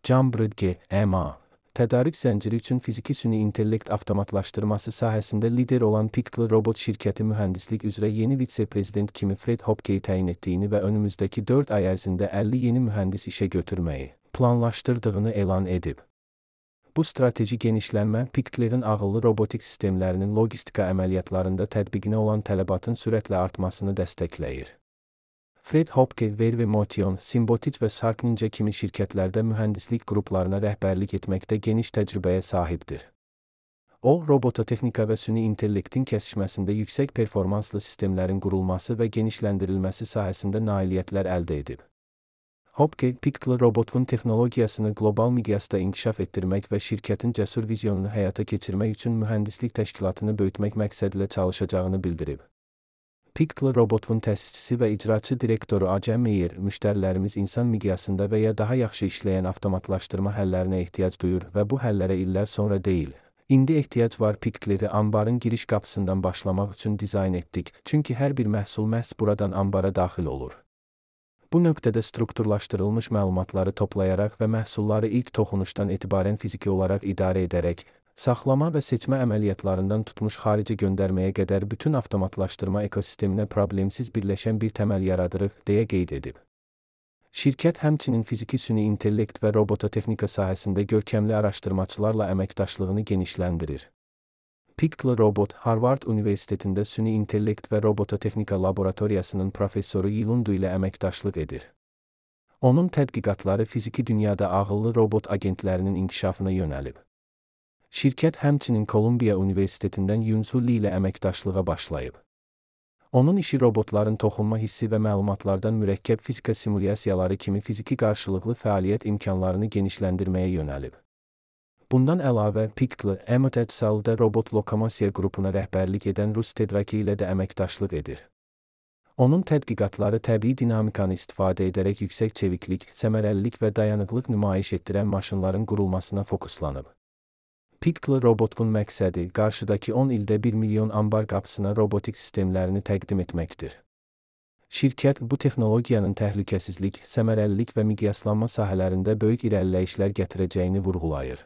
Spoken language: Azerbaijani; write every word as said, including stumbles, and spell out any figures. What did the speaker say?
Cambridge G M A tədarük zənciri üçün fiziki süni intellekt avtomatlaşdırması sahəsində lider olan Piccolo Robot şirkəti mühəndislik üzrə yeni vitse-prezident kimi Fred Hopkeyi təyin etdiyini və önümüzdəki dörd ay ərzində əlli yeni mühəndis işə götürməyi planlaşdırdığını elan edib. Bu strateji genişlənmə Piccolo'nun ağıllı robotik sistemlərinin logistika əməliyyatlarında tətbiqinə olan tələbatın sürətlə artmasını dəstəkləyir. Fred Hopke, Verve Motion, Symbotic və Sark Ninja kimi şirkətlərdə mühəndislik qruplarına rəhbərlik etməkdə geniş təcrübəyə sahibdir. O, robototexnika və süni intellektin kəsişməsində yüksək performanslı sistemlərin qurulması və genişləndirilməsi sahəsində nailiyyətlər əldə edib. Hopke, Piccolo robotun texnologiyasını qlobal miqyasda inkişaf etdirmək və şirkətin cəsur vizyonunu həyata keçirmək üçün mühəndislik təşkilatını böyütmək məqsədilə çalışacağını bildirib. Piccolo robotun təsisçisi və icraçı direktoru Ajay Meyer, müştərilərimiz insan miqyasında və ya daha yaxşı işləyən avtomatlaşdırma həllərinə ehtiyac duyur və bu həllərə illər sonra deyil. İndi ehtiyac var. Piccolo'yu anbarın giriş qapısından başlamaq üçün dizayn etdik, çünki hər bir məhsul məhz buradan anbara daxil olur. Bu nöqtədə strukturlaşdırılmış məlumatları toplayaraq və məhsulları ilk toxunuşdan etibarən fiziki olaraq idarə edərək, saxlama və seçmə əməliyyatlarından tutmuş xarici göndərməyə qədər bütün avtomatlaşdırma ekosisteminə problemsiz birləşən bir təməl yaradırıq, deyə qeyd edib. Şirkət həmçinin fiziki süni intellekt və robototexnika sahəsində görkəmli araşdırmaçılarla əməkdaşlığını genişləndirir. Piccolo Robot, Harvard Universitetində süni intellekt və robototexnika laboratoriyasının professoru Yilundu ilə əməkdaşlıq edir. Onun tədqiqatları fiziki dünyada ağıllı robot agentlərinin inkişafına yönəlib. Şirkət həmçinin Kolumbiya Universitetindən Yunsu Li ilə əməkdaşlığa başlayıb. Onun işi robotların toxunma hissi və məlumatlardan mürəkkəb fizika simulyasiyaları kimi fiziki qarşılıqlı fəaliyyət imkanlarını genişləndirməyə yönəlib. Bundan əlavə, Piccolo, Emotecsal'da robot lokomosiya qrupuna rəhbərlik edən Rus Tedraki ilə də əməkdaşlıq edir. Onun tədqiqatları təbii dinamikanı istifadə edərək yüksək çeviklik, səmərəlilik və dayanıqlıq nümayiş etdirən maşınların qurulmasına fokuslanıb. Piccolo robotun məqsədi qarşıdakı on ildə bir milyon anbar qapısına robotik sistemlərini təqdim etməkdir. Şirkət bu texnologiyanın təhlükəsizlik, səmərəlilik və miqyaslanma sahələrində böyük irəliləyişlər gətirəcəyini vurğulayır.